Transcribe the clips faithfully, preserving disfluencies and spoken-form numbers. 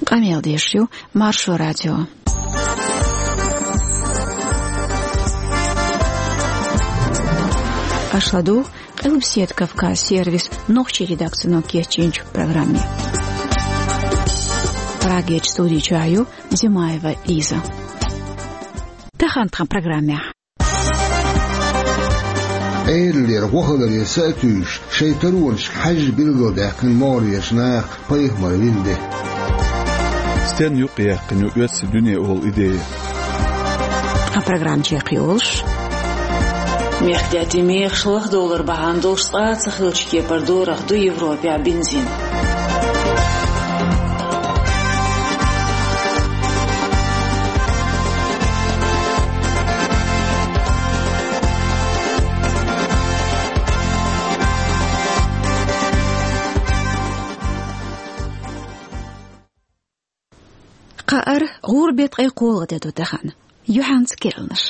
Къамел деш ю Маршо радио. Аша ладугӀу Къилбаседа Кавказ сервисан нохчийн редакцино кечйинчу программе. Прагерчу студи чохь ю Димаева Лиза. Тахана тхан программехь. Ӏедалера гӀо хиларе са а туьйсуш, шайн таронашка хьаьжжа билгалдаьккхина могӀарерчу наха пайхамар вина де. Стенна юкъаяьккхина ю оьрсийн дуьне олу идея? Тхан программа чекхйолуш. Мехкдаьттийн мехаш лахдовлар бахьана долуш цкъа а ца хиллачу кепара дорах ду Европехь бензин. Кхаар гӀуран беттан ткъе кхоалгӀа де ду тахана. Юьхьанца керланаш.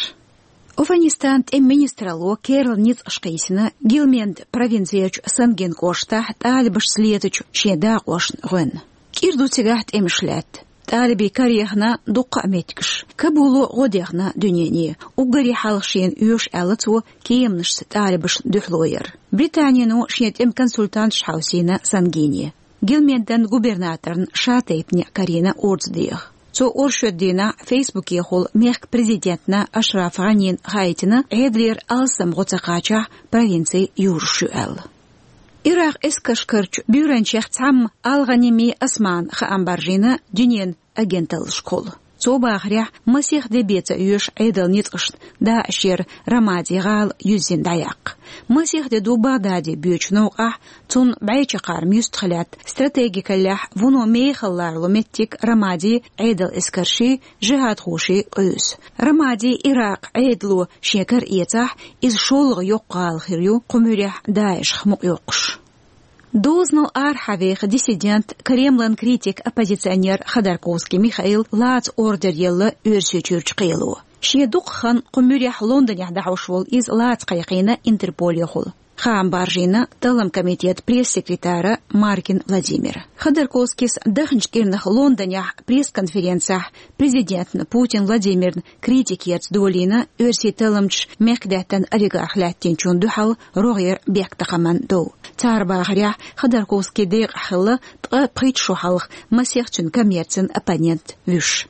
ОвхӀанистанан тӀеман министралло керла ницкъаш кхийсина Гилменд провинцерчу Сангин кӀоштахь тӀалибашца летачу шен дакъошна гӀоьнна. КӀира ду цигахь тӀемаш лаьтта. ТӀалибийн кара яхна дуккха а меттигаш. Кабуло гӀо дехна дуьнене. Уггаре хьалха шена оьшу аьлла цо кеманашца тӀалибашна дуьхьало яр. Британино шен тӀеман консультанташ хьовсийна Сангине. Гилмендан губернаторна ша тайпане карийна орца деха. Цо оршот дийнахь Фейсбукехула мехкан президентна Ашраф ГӀанина хаийтина, Ӏедалера алсам гӀо ца кхачахь, провинци юруш ю аьлла. Иракъан эскарш карчу буьйранчех цхьамма Ал-ГӀаними Османа хаам баржийна дуьненан агенталлашкахула. Цо бахарехь, масех де бен ца оьшу Ӏедалан ницкъашна ДаӀишера Рамади гӀала юьззина дӀаяккха. Масех де ду Багдаде боьдучу новкъахь цунна бӀе чаккхарма юьстахь лаьтта стратегикаллехь вуно мехала лоруш меттиг Рамади Ӏедалан эскарший, жихӀадхоший къуьйсу. Рамади Иракъан Ӏедало шен кара эцахь, иза шолгӀа йоккха гӀала хир ю кху муьрехь ДаӀишах мукъайоккхуш. Дозанал арахьа веха диссидент, Кремлан критик, оппозиционер Ходорковский Михаила лаца ордер елла Оьрсийчуьрчу кхело. Шен дукха хан кху муьрехь Лондонехь дӀахьош волу иза лаца кхайкхийна Интерполехула. Хаам баржийна талламан комитетан пресс-секретара Маркин Владимира. Ходорковскийс даханчу кӀирнах Лондонехь пресс-конференцехь президентна Путин Владимирна критикаца долийна оьрсийн талламчаша мехкдаьттан олигарх лаьттинчунна дуьхьал рогӀера бехктакхаман дов. Цара бахарехь, Ходорковский декъахь хилла ткъа пхийтта шо хьалха масех цуьнан коммерцин оппонент вуьш.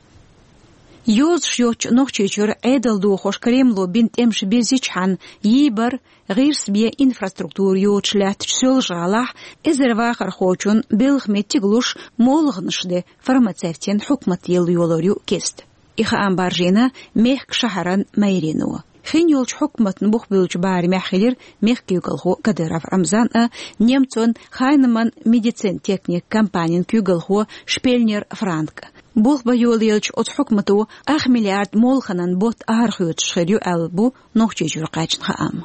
Йозуш йоцучу Нохчийчуьра Ӏедал дохош Кремло бина тӀемаш бирзичхьана, йийбар, гӀирс бен инфраструктура йоцуш лаьттачу Соьлжа-ГӀалахь эзар вахархочун белхан меттиг луш, молханаш де фармацевтийн хьукмат елла йолор ю кеста. И хаам баржийна мехкан шахьаран мэрино. Хин йолчу хьукматна бух буьллучу барамехь хилира мехкан куьйгалхо Кадыров Рамзан а, немцойн Хайнеман медицин-техникан компанин куьйгалхо Шпельнер Франк а. Болх бан йолаелча оцу хьукмато ах миллиард молханан ботт арахоьцуш хир ю аьлла бу Нохчийчуьра кхаьчна хаам.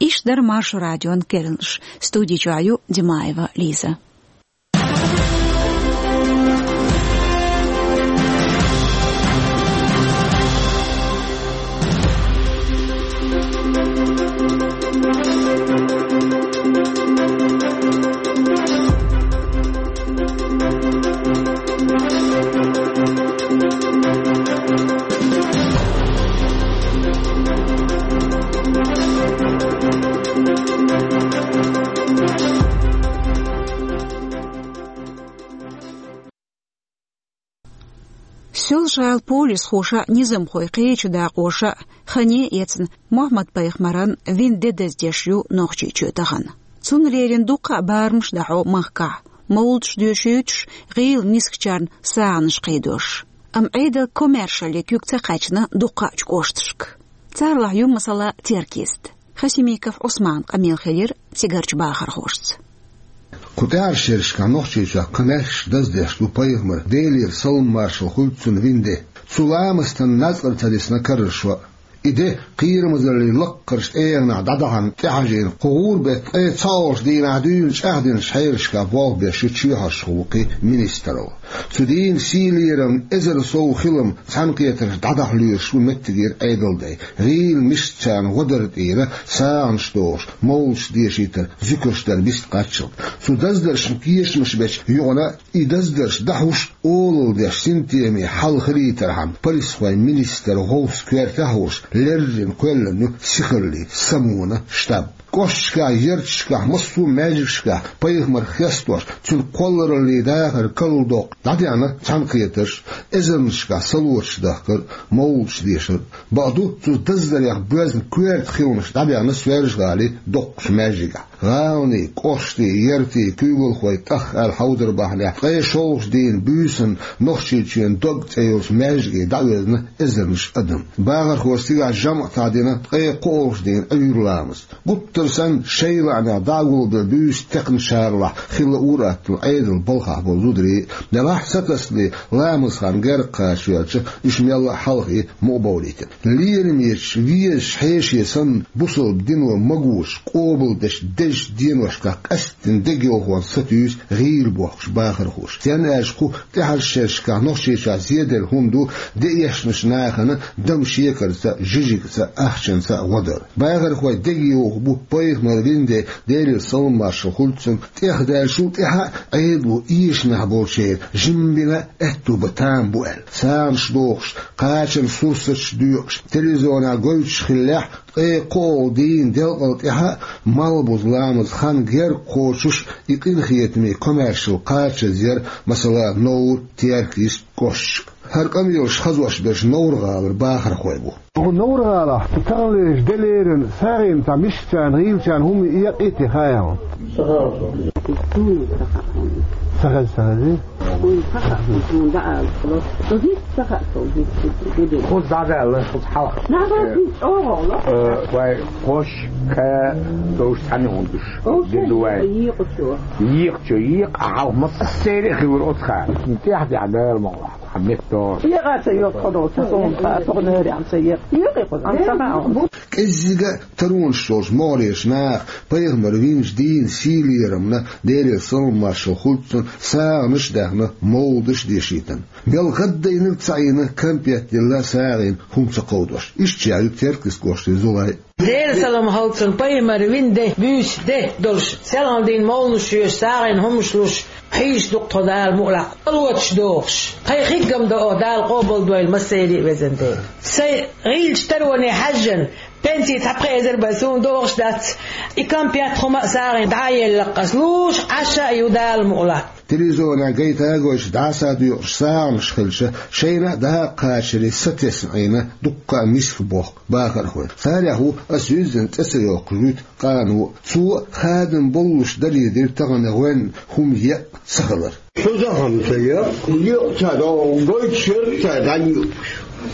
Иштта дара Маршо радион керланаш. Студи чохь ю Димаева Лиза. Соьлжа-ГӀала полисхоша а, низамхой кхечу дакъоша а хане а эцна, Мухьаммад-пайхамаран вина де даздеш ю Нохчийчоь тахана. Цунна леррина дуккха а барамаш дӀахьо махкахь, мовлудаш доьшуьйтуш, гӀийла мискачарна сагӀанаш кхийдош. Амма Ӏедал комаьршалле куьг ца кхаьчна дуккхачу кӀошташка. Царлахь ю, масала, Теркист. Хасимиков Ӏусманан къамел хилира цигарчу бахархошца. Кху тӀаьхьарчу шерашкахь Нохчийчохь кхин мехкашка даздеш ду пайхамар, Делера салам-маршалла хуьлда цунна, вина де. Цу ламастан нацкъара ца дисна караршо а. И де кхерамазаллин лаккхарчу тӀегӀанехь дӀадахьарна тӀехьажийна кху гӀуран беттан ткъе цхьаолгӀачу дийнахь дуьйна чӀагӀдинчу хьелашкахь болх беш ю чоьхьаршхо ву кхин министралла. Цу дийнан сийлаллин эзар сов хилам цхьаьнакхетарш дӀадахьа лоьруш ву меттигера Ӏедалдай. ГӀийла мишцарна гӀо дар тӀера сагӀанаш дохуш, мовлудаш дешийтар зуькарш дар бист кхаччалц. Цу даздаршна кешамаш бечу юкъана а, и даздарш дӀахьуш, олалла деш синтеме хьал хилийтархьама, полисхойн министран гӀовс коьртехь а волуш, леррина кхоьллина ю сихаллин самона штаб. КӀошташкахь, ярташкахь, массо а маьждигашкахь пайхамар хестош, цуьнан кхоллараллин дахар карладоккхуш дӀадеана цхьаьнакхетарш, эзарнашкахь салоташ дахкар, мовлудаш дешар. Бакъду, цу даздарех боьзна коьрта хиламаш дӀабаьхна Соьлжа-ГӀалин доккхачу маьждигехь. ГӀаланийн, кӀоштийн, яртийн куьйгалхой тӀах аьлла хьовдар бахьанехь, ткъе шолгӀачу дийнан буьйсанна Нохчийчоьнан дог цӀе йолчу маьждиге дӀаоьзна эзарнаш адам. Бахархоша цигахь жамӀ а дина ткъе кхоалгӀачу дийнан Ӏуьйра ламаз. Гуттар санна шайн лаамехь дӀа а гулбелла буьйса текхначарлахь хилла ур-атталла Ӏедалан балхахь болу зударий а, делахь а сатасале ламазан хан герга кхача ваьлча, уьш мелла а хьалхе мукъабовлийтина. Лерамечу везачу хьеше санна, бусалба дино магош, къобалдеш дезачу деношкахь къаьсттина дегайовхонца сатуьйсу гӀийла бохкуш бахархоша. Стенна аьлча кху тӀаьхьарчу шерашкахь Нохчийчохь зеделла хӀума ду деэшначу нахана дама шекарца а, жижигца а, ахчанца а гӀо дар. Бахархой дегайовхо бу пайхамар вина де, Делера салам-маршалла хуьлда цунна, тӀехдаьллачул тӀаьхьа а Ӏедало эшамехь болчеран жимма бина аьтту бан там бу аьлла. СагӀанаш дохуш, кхачанан сурсаташ доькъуш, телевизионехь гойтуш хиллехь, ткъе кхоалгӀа дийнан делкъал тӀаьхьа а малхбуза ламазан хан герга кхочуш, и къинхетаме комаьршалла кхачазъяр, масала, Невр, Теркйист кӀошташка. ХӀара къамелаш хазош берш Невр-гӀалара бахархой бу. Оха Невр-гӀалахь, таханлерчу делеран сагӀина цхьа мишцарна, гӀийлачарна хӀума екъий те хаьий хьуна? Ца хеза, ца хезий? Вуй, ца хаьа, суна дӀаала. Со гиц ца хаьа, со гиц, гиц, гиц. Кхуза дӀадаьлла, кхуза хьалха. Нагахь кхин чӀогӀа ло. Э, вай, кхош, кхаь, довш цхьаьна хӀума душ. Де ду вай. Екъачо. Екъачо, екъа, а хьалха массеран а хилар оцу хана. ТӀаьхьа-тӀаьхьа Дала ма вахьа, хьан метта. Екъа ца йоккху, со суна тха, тхо нерехь ца екъа. Екъа кхуза, ам ца хаьа. КӀеззига а таронаш йолчу могӀарерчу наха пайхамар винчу дийнан сийлаллина, Делера салам-маршалла хуьлда цунна, сагӀанаш а даьхна, мовлудаш а дешийтина. Мел гӀаддайнарг ца Ӏийна, кампет дилла сагӀина хӀума ца кховдош. Иштта чӀагӀйо Теркйист кӀоштан Зулай. Делера салам хуьлда цунна, пайхамар вина де, буьйса де долуш, селхана дийнан мовлудаш йоьшуш, сагӀина хӀумаш луш, хьийзаш ду-кх тхо Дала мукъалахь, салоташ дохуш. Тхайн хингам до оха, Дала къобалдойла массеран а везан Дела. Сайн гӀийлачу тароне хьаьжжина, пенси цхьа пхи эзар бен суна догӀуш дац, и кампет хӀума а сагӀина дӀа а елла-кх ас, луш Ӏаш а ю Дала мукъалахь. Телевизионехь гайта а гойтуш, дӀаса а доькъуш сагӀанаш хилча, шайна а дакъа кхачаре сатесна Ӏийна дуккха а миска бохку бахархой. Царех ву ас юьззина цӀе ца йоккхуш вуьту къано а. Цо а хадам боллуш далийдира тахана гӀоьнна хӀума екъа ца хилар. Кхузахь-м ца екъа, екъа ца догӀу, гойтуш яра ца дӀайоькъуш.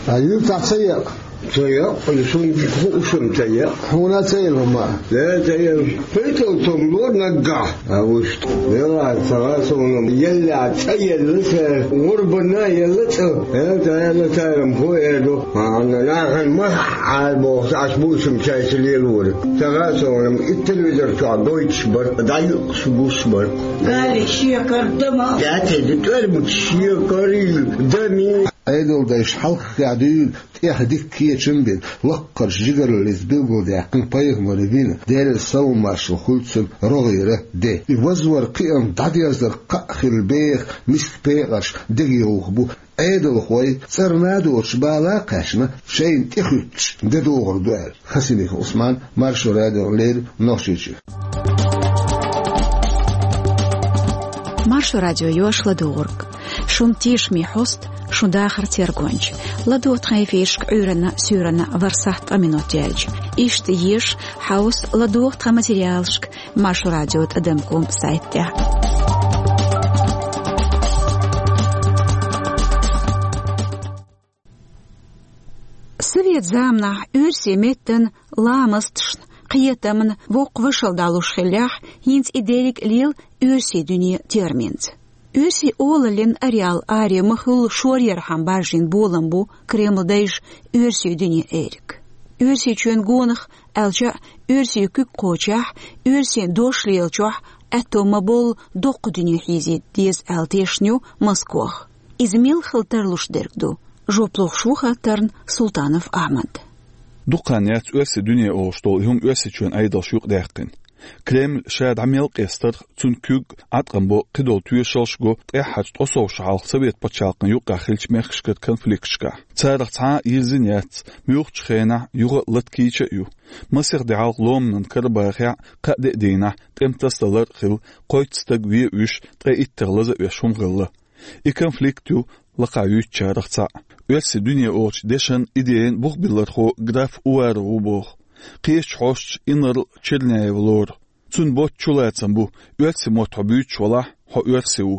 А юьртахь ца екъа? Ца екъа, и суна хууш-м ца екъа. Хьуна а ца елла хӀума? Де, ца елла. Пайтал цунна лора наггахь. А вуьшта. Вела, ца гӀа суна, елла, цӀа елла, ца гӀурбанна елла цӀа. Э, ца елла, цара-м хӀун эр ду? Хьанна нахана ма хьахьара бохуш, аш бусам чайса лелора. Ца гӀа суна, и телевизор чохь гойтуш бара, дӀаюкъуш гуш бара. Гали шекар дама. Дати ди тӀормут шекари дами. Ӏедалдайша хьалххе дуьйна тӀех дика кечам а бина, лаккхарчу жигараллица билгалдаьккхина пайхамар вина, Делера салам-маршалла хуьлда цунна, рогӀера де. И вазвар, кхиам дӀадерзар кхаъ хилла беха миска пекъарш дегайовха бу. Ӏедалхой цӀарна а доцуш бала а кхаьчна, шайна тӀехуьттуш де догӀур ду аьлла. Хасимиков Ӏусман, Маршо радиона леррина Нохчийчуьра. Маршо радио йош ладугӀург. Шун тешаме хьоста, шун дахар тергонча. ЛадогӀа тхан эфирашка Ӏуьйранна, суьйранна ворхӀ сахьт ткъа минот яьлча. Иштта еша, хьовса, ладогӀа тхан материалашка Маршо радио тӀадам ком сайт тӀехь. Совет заманахь оьрсийн меттан ламасташна, кхетамна воккха вашалла далуш хиллехь, хӀинца и дерриг а лела оьрсийн дуьне терминца. Оьрсийн олаллин ареал аре ма-хуьллу шоръярхьама бажжийна болам бу Кремлан дайша оьрсийн дуьне эриг. Оьрсийчоьнан гонах, аьлча а, оьрсийн куьг кхочехь, оьрсийн дош лелачохь аьтто ма боллу доккха дуьне хьийзийта деза аьлла тешна ю Москох. Иза мел хила тарлуш дерг ду? Жоп лохуш ву хаттарна Султанов Ахьмад. Дукха хан яц оьрсийн дуьне олуш долу и хӀума Оьрсийчоьнан Ӏедалша юкъадаьккхина. Кремль ша дӀа мел къестарх, цуьнан куьг Ӏаткъам бо, кхидолу тоьшаллаш го тӀаьххьарчу ткъа сов шо хьалха Совет пачхьалкхан юккъехь хиллачу мехкашкара конфликташкахь. Царах цхьа а йирзина яц, муьлххачу хенахь юха а латкийча а ю. Масех де хьалха Ломанан Карабахехь кхаа-деа дийнахь тӀеман тасадалар а хилла, кхойтта стаг вен уьш, ткъе иттанах лаза а оьшуш хӀума хилла. И конфликт ю лакхахь юьйцучарах цхьаъ. Оьрсийн дуьне олучу дешан, идеян бухбиллархо граф Уваров ву боху. Кхечу хьосташ инарла Черняев лору. Цуьнан ботта чулацам бу: оьрсийн мотт хьо буьйцуш валахь, хьо оьрси ву.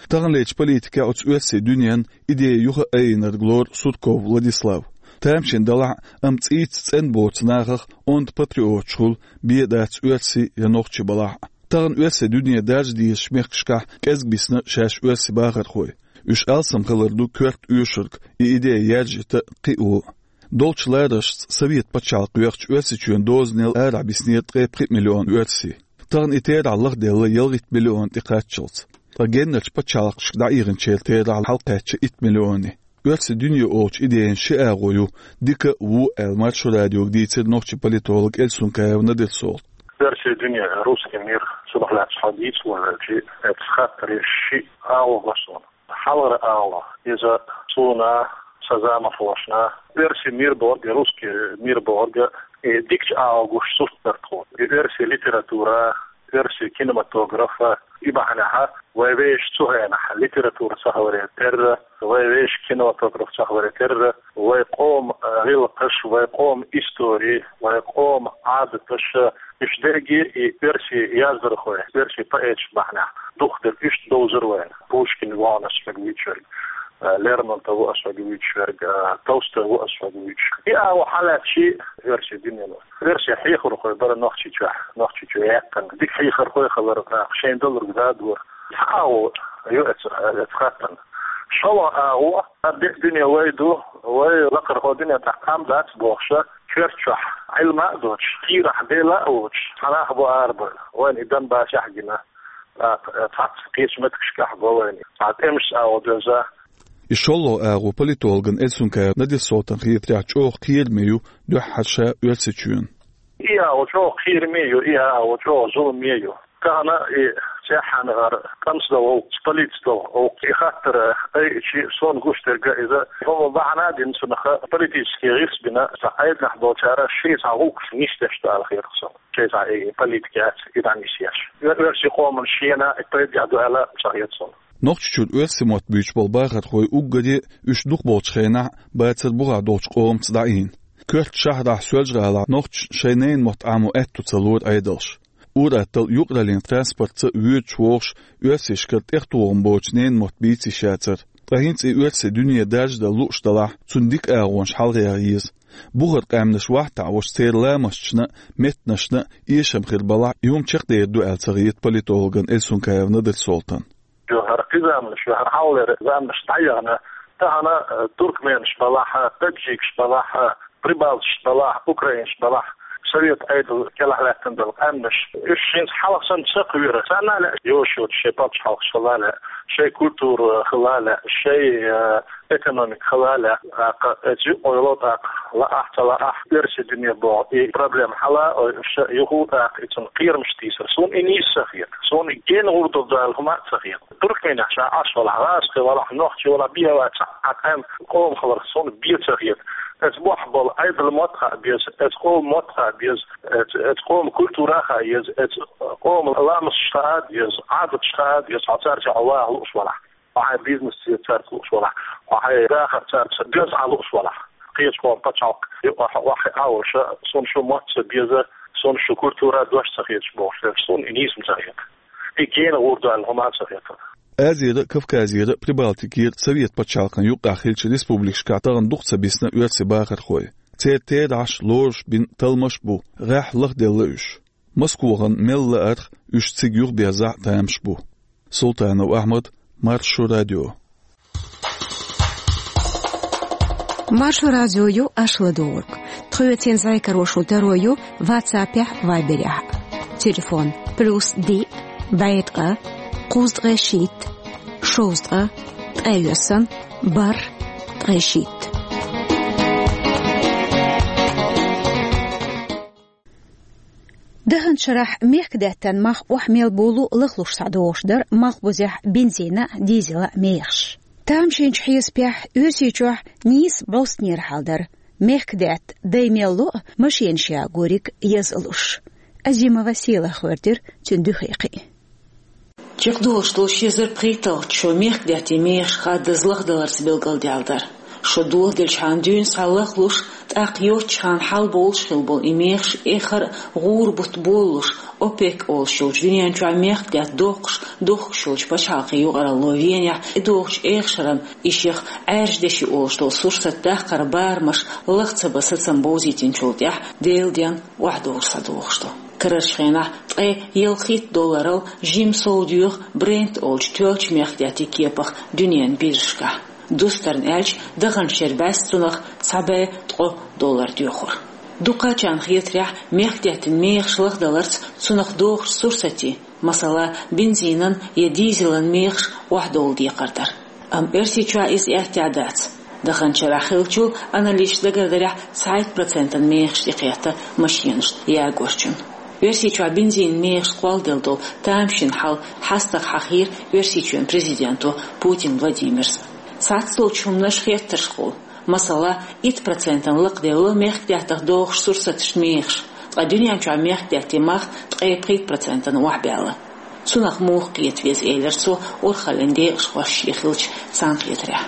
Таханлерчу политикехь оцу оьрсийн дуьненан идея юха а айинарг лору Сурков Владислав. Тамашийна далахь а, амма цӀийца цӀена боцу нахах онда патриоташ хуьлу, бен дац оьрси я нохчи балахь а. Тахана оьрсийн дуьне даржа дезачу мехкашкахь кӀезиг бисна шаьш оьрсийн бахархой. Уьш алсам хилар ду коьрта оьшург, и идея яржийта а, кхио а. Долчу лараршца Совет пачхьалкх йоьхча Оьрсийчоьнан дозанал арахь биснера ткъе пхиъ миллион оьрси. Тахана и терахь лахделла ялхитта миллион тӀекхаччалц. Ткъа геннарчу пачхьалкхашка дӀаихначеран терахь хьалакхаьчча итт миллионе. Оьрсийн дуьне олучу идеян ши агӀо ю дика а, вон а аьлла Маршо радиога дийцира нохчийн политолог Эльсункаев Надир-Солтан. Оьрсийн дуьне, русский мир, цунах лаьцна хьо дийца вахча, оцу хаттаре ши агӀо го суна. Хьалхара агӀо, иза суна, сан заманхошна, оьрсийн мир бохург, русский мир бохург, и дикачу агӀо гуш сурт дара тхуна. И оьрсийн литература, оьрсийн кинематограф, и бахьанехь вай вешан цу хенахь литература ца хиларе терра, вай вешан кинематограф ца хиларе терра, вай къоман, э, гӀиллакхаш, вай къоман истори, вай къоман Ӏадаташ, уьш дерриге и оьрсийн яздархой, оьрсийн поэташ бахьанехь дукха дерг уьш довзар вайна. Пушкин ву ас хьоьга вуьйцуш верг, э, Лермонтов ву ас хьоьга вуьйцуш верг, э, Толстой ву ас хьоьга вуьйцуш. И агӀо хьалаьцча, оьрсийн дуьнено. Оьрсийн хьехархой бара Нохчийчохь, Нохчийчу яьккхина. Дика хьехархой хилар, нах шайн далург дадора. Цхьа агӀо ю эца, эца хаттарна. ШолгӀа агӀо, а, дика дуьне вай ду, вай лакхархо дуьне тӀехь кхам дац бохуша, коьрта чохь Ӏилма а доцуш, кийрахь Дела а воцуш, цхьа нах бу арабевлла. Вайна и Донбассехь гина, тӀаккха, э, цхьацца кхечу меттигашкахь го вайна. Цхьа тӀемаш а агӀо доьзна. И шолгӀа агӀо политологна Эльсункаев Надир-Солтанна хетарехь чӀогӀа кхераме ю дуьххьара ша Оьрсийчоьнна. И агӀо чӀогӀа кхераме ю, и агӀо чӀогӀа зуламе ю. Тахана и цӀеххьана гӀар тӀамца долу гӀуллакх, политика долу гӀуллакх, и хаттар айичи, суна гуш дерг иза, хӀума бахьана а дина цунах политический гӀирс бина, цхьа Ӏедалехь болчара шайн цхьа гӀуллакхаш нисдеш ду аьлла хетарх суна. Шайн цхьа и политика яц, и дӀанисъеш. Оьрсийн къоман шена и пайда а ду аьлла ца хета суна. Нохчийчуьра оьрсийн мотт буьйцуш болу бахархой уггаре а уьш дукхахболчу хенахь бацара бухахь долчу къомаца дӀаийна. Коьрта шахьарахь, Соьлжа-ГӀалахь нохчашна шайн ненан мотт Ӏамо аьтто ца лора Ӏедалша. Ур-атталла юкъараллин транспортца а воьдуш-вогӀуш оьрсашкара тӀехтухуш боцуш ненан мотт бийца йиш яцара. Ткъа хӀинца и оьрсийн дуьне даржадан лууш далахь, цуьнан дика агӀонаш хьалхаяха еза. Бухара къаьмнаш вахтахь волуш церан ламасташна а, меттанашна а эшам хир балахь, и хӀума чекхдер ду аьлла ца хета политологна Эльсункаев Надир-Солтанна. Ю хӀара кхин заманаш, ю хӀара хьалхалера заманаш дӀаяхана, тахана, э, туркменаш балахь, таджикаш балахь, прибалташ балахь, украинаш балахь, совет Ӏедал кӀелахь лаьттина долу къаьмнаш, уьш хӀинца хьалха санна ца кхоьру. Царна а лаьа йош йоцуш шайн пачхьалкхаш хила а лаьа, шайн культура хила а лаьа, шайн, э, экономика хила а лаьа. ТӀаккха эцу юкъа йолу тӀаккха лаахь а, ца лаахь а, оьрсийн дуьне боху и проблема хьала а ойуш, юха а тӀаккха и цунна кхерамаш тийсар. Суна и нийса ца хета. Суна и гена гӀур ду аьлла хӀума а ца хета. Туркменехь ша Ӏаш валахь, гӀазкхи валахь, нохчи валахь, бен вац, цхьа къаьмнан къоман хиларх суна бен ца хета. Эцу бохь болу Ӏедалан мотт хаа беза, эцу къоман мотт хаа беза, эцу, эцу къоман культура хаа еза, эцу къоман ламасташ хаа деза, Ӏадаташ хаа деза, хьо цаьрца ваха лууш валахь. Хьо хьайн бизнес цаьрца лууш валахь, хьо хьайн дахар цаьрца доьзна Ӏа лууш валахь. Кхечу къоман пачхьалкх юкъахь охьа а волуш, суна шун мотт ца беза, суна шун культура дош ца хеташ бохуш верг, суна и нийса ца хета. И гена гӀур ду аьлла хӀума а ца хета. Азера, Кавказера, Прибалтикера совет пачхьалкхан юккъехь хиллачу республикашкахь тахана дукха ца бисна оьрсийн бахархой. Церан терахьаш, лоруш бина талламаш а бу, гӀеххьа лахделла уьш. Москвахана мел лаарх уьш цига юхаберзахь а тамаш бу. Султанов Ахьмад, Маршо радио. Маршо радио ю аша ладугӀург. Кхоьцин зӀе каро шун таро ю WhatsApp-ехь, Viber-ехь. Телефон: плюс диъ, бӀе ткъа, кхузткъе шийтта, шовзткъа, ткъе йоьсна, бархӀ, ткъе шийтта. Даханчу шарахь мехкадаьттан мах охьамел болу лахлуш схьадогӀуш дара малхбузехь бензина а, дизела а мехаш. Тамашийначу хьесапехь, Оьрсийчохь нийса бӀостанера хьал дара. Мехкадаьтта дай мел ло а, машенаш ягориг еза луш. Азимова Сийлаха гӀоьртира цуьнан дуьхе кхин. Чекхдолуш долу ши эзар пхийтталгӀачу шо мехкадаьттан мехаш хаддаза лахдаларца билгалдаьлла дара. Шо дохаделчхьана дуьйна схьа лахлуш, тӀаккха йоцчхьана хьалабовлуш хилла болу и мехаш эххар а гӀура бутт болалуш, ОПЕК олуш йолчу дуьнен чохь мехкадаьтта доккхуш дохкуш йолчу пачхьалкхийн юкъаралло Венехь тӀедогӀучу эха шарна и шех Ӏаьржа деши олуш долу сурсат даккхар барамаш лаха ца бан сацам бовзийтинчул тӀаьхьа Делан денна охьадовлуш схьадогӀуш ду. Карарчу хенахь ткъе ялхитта долларал жимма сов доьху Brent олучу тоьллачу мехкадаьттан кепах дуьненан биржашкахь. Дустарна аьлча, даханчу шеран бӀаьста цунах цхьа бӀе ткъо доллар доьхура. Дукхачарна хетарехь, мехкадаьттан мехаш лахдаларца цунах догӀучу сурсатийн, масала, бензинан я дизелан мехаш охьадовла декхар дара. Амма Оьрсийчохь иза аьттехьа дац. Даханчу шарахь хиллачул, аналисташа дагардарехь, цхьайтта процентана мехаш тӀекхетта машенашна ягорчунна. Оьрсийчохь бензинан мехаш кхолладелла долу тамашийна хьал хьастагӀа хьахийра Оьрсийчоьнан президенто Путин Владимира. Цхьацдолчу хӀуманаш хеттаршхула. Масала, итт процентана лакхаделла мехкадаьттах догӀучу сурсаташна мехаш, ткъа дуьнен чохь мехкадаьттан мах ткъе пхийтта процентана охьабаьлла. Цунах муха кхета веза, элира цо, урхаллин декъашхошна шен хиллачу цхьаьнакхетарехь.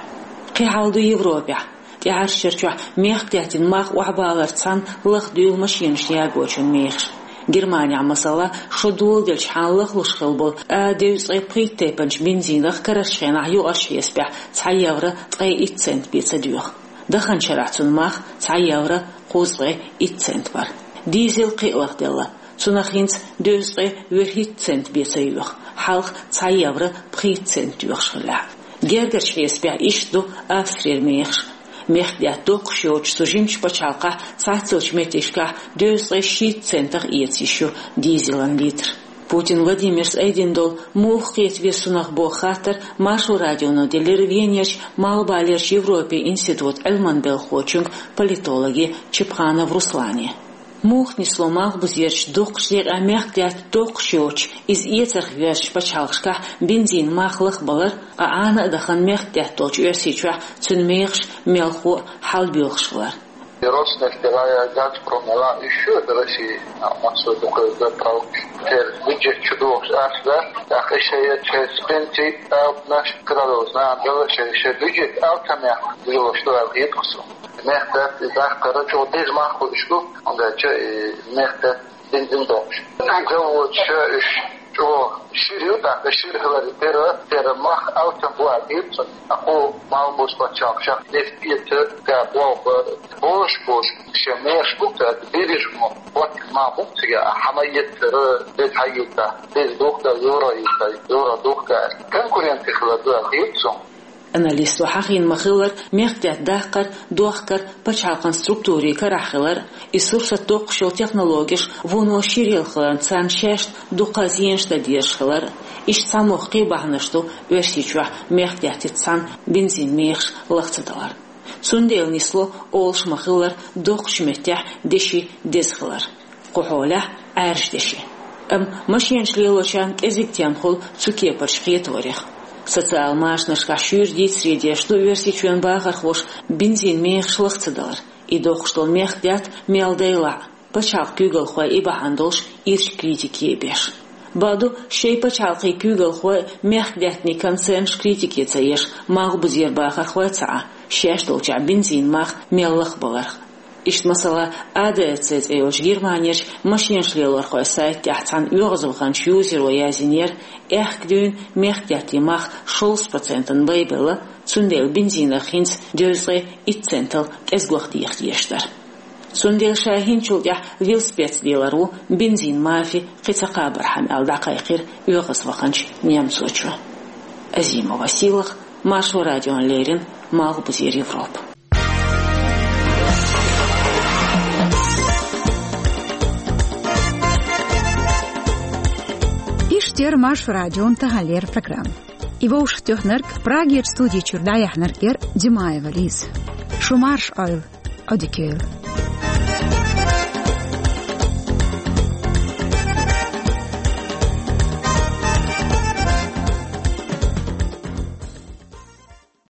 Кхин хьал ду Европехь. ТӀаьхьарчу шарчохь мехкадаьттан мах охьабаларца цхьаьна лахдуьйлу машенашна ягочун мехаш. Германехь, масала, шо доладелчхьана лахлуш хилла болу А девзткъе пхийтта тайпанчу бензинах карарчу хенахь юкъарчу хьесапехь цхьа евро ткъе итт цент бен ца доьху. Даханчу шарахь цуьнан мах цхьа евро кхузткъе итт цент бара. Дизел кхин а лахделла. Цунах хӀинца девзткъе вуьрхӀитта цент бен ца йоьху, хьалха цхьа евро пхийтта цент доьхуш хиллехь. Гергарчу хьесапехь иштта ду Австрера мехаш. Мехкадаьтта доккхуш йоцуш цу жимачу пачхьалкхахь цхьаццалчу меттигашкахь девзткъе шийтта центах эца йиш ю дизелан литр. Путин Владимира айдина долу муха кхета веза цунах боху хаттар Маршо радионо делира Венерчу Малхбалерчу Европин институтан Ӏилманан белхахочуьнга, политологе Чепханов Руслане. Муха нисло малхбузерчу дукхачу декъехь мехкадаьтта доккхуш йоцуш, иза эцарх йоьзначу пачхьалкхашкахь бензинан мах лахбалар, ткъа Ӏана а дахана мехкадаьтта долчу Оьрсийчохь цуьнан мехаш мелхо а хьалабоьлхуш хилар? Роснефть, Газпром, ала, ещё до России, а, массо дукха заправки. Теперь бюджет чудовищ ас, да? Так, ещё я через пенсии, а, наш крадовоз, на, дала, ещё, ещё бюджет, а, там я, было, что я, Мехкадаьтта и дахкара чӀогӀа деза мах хуьлуш ду, хӀунда аьлча и мехкадаьтта бензин доккхуш. Заводаш уьш чӀогӀа шира ю, тӀаккха шира хиларе тера, тера мах алсам бу аьлла хета суна. Акхо малхбузерчу пачхьалкхашкахь нефть эца, га болх бан, божаш, божаш, шен мехаш бу, тӀаккха берриш мо, хӀоттийна мах бу цига, а хьан ма эцара, деза хьаийца, деза духка, евро ийца, евро духка. Конкуренция хилар ду аьлла хета суна. Аналисто хьахийна ма-хиллара, мехкадаьтта даккхар, дохкар пачхьалкхан структурийн карахь хилар, и сурсат доккхуш йолу технологеш вуно ширъелла хиларна царна шаьшна дукха зенаш дан дезаш хилар, иштта цхьа муьлхха кхин бахьанаш ду Оьрсийчохь мехкадаьттица цхьаьна бензин мехаш лаха ца далар. Цундела нисло, олуш ма-хиллара, доккхачу меттехь деши деза хилар. Кху хьолехь Ӏаьржа деши. Амма машенаш лелочарна кӀезиг тема хуьлу цу кепарчу кхетарех. Социал машанашкахь шуьйра дийцаре деш ду Оьрсийчоьнан бахархоша бензин мехаш лаха ца далар. И доккхуш долу мехкадаьтта мел дайлахь а, пачхьалкхан куьйгалхой и бахьана долуш ирча критике а беш. Бакъду, шайн пачхьалкхийн куьйгалхой а, мехкадаьттанийн концернаш критике ца еш, малхбузера бахархой ца Ӏа, шаьш долчохь бензин мах мел лахбаларх. Иштта, масала, А Д А Ц цӀе йолчу Германерчу машенаш лелорхойн сайта тӀехь цхьана оьгӀазваханчу юзеро яздинера, аьхка дуьйна мехкадаьттан мах шовзткъа процентана байбелла, цундела бензинах хӀинца девзткъе итт центал кӀезиг ваха деха дезаш дара. Цундела ша хӀинцачул тӀаьхьа велосипедца лелар ву бензин мафи кхин ца кхабархьама аьлла дӀакхайкхира оьгӀазваханчу немцочо. Азимова Сийлаха, Маршо радиона леррина, Малхбузера Европа. Иштта яр Маршо радион таханлера программа. И вовшахтоьхнарг, Прагера студи чуьра дӀаяьхьнарг яр Димаева Лиза. Шу марша Ӏойла, Ӏодика йойла.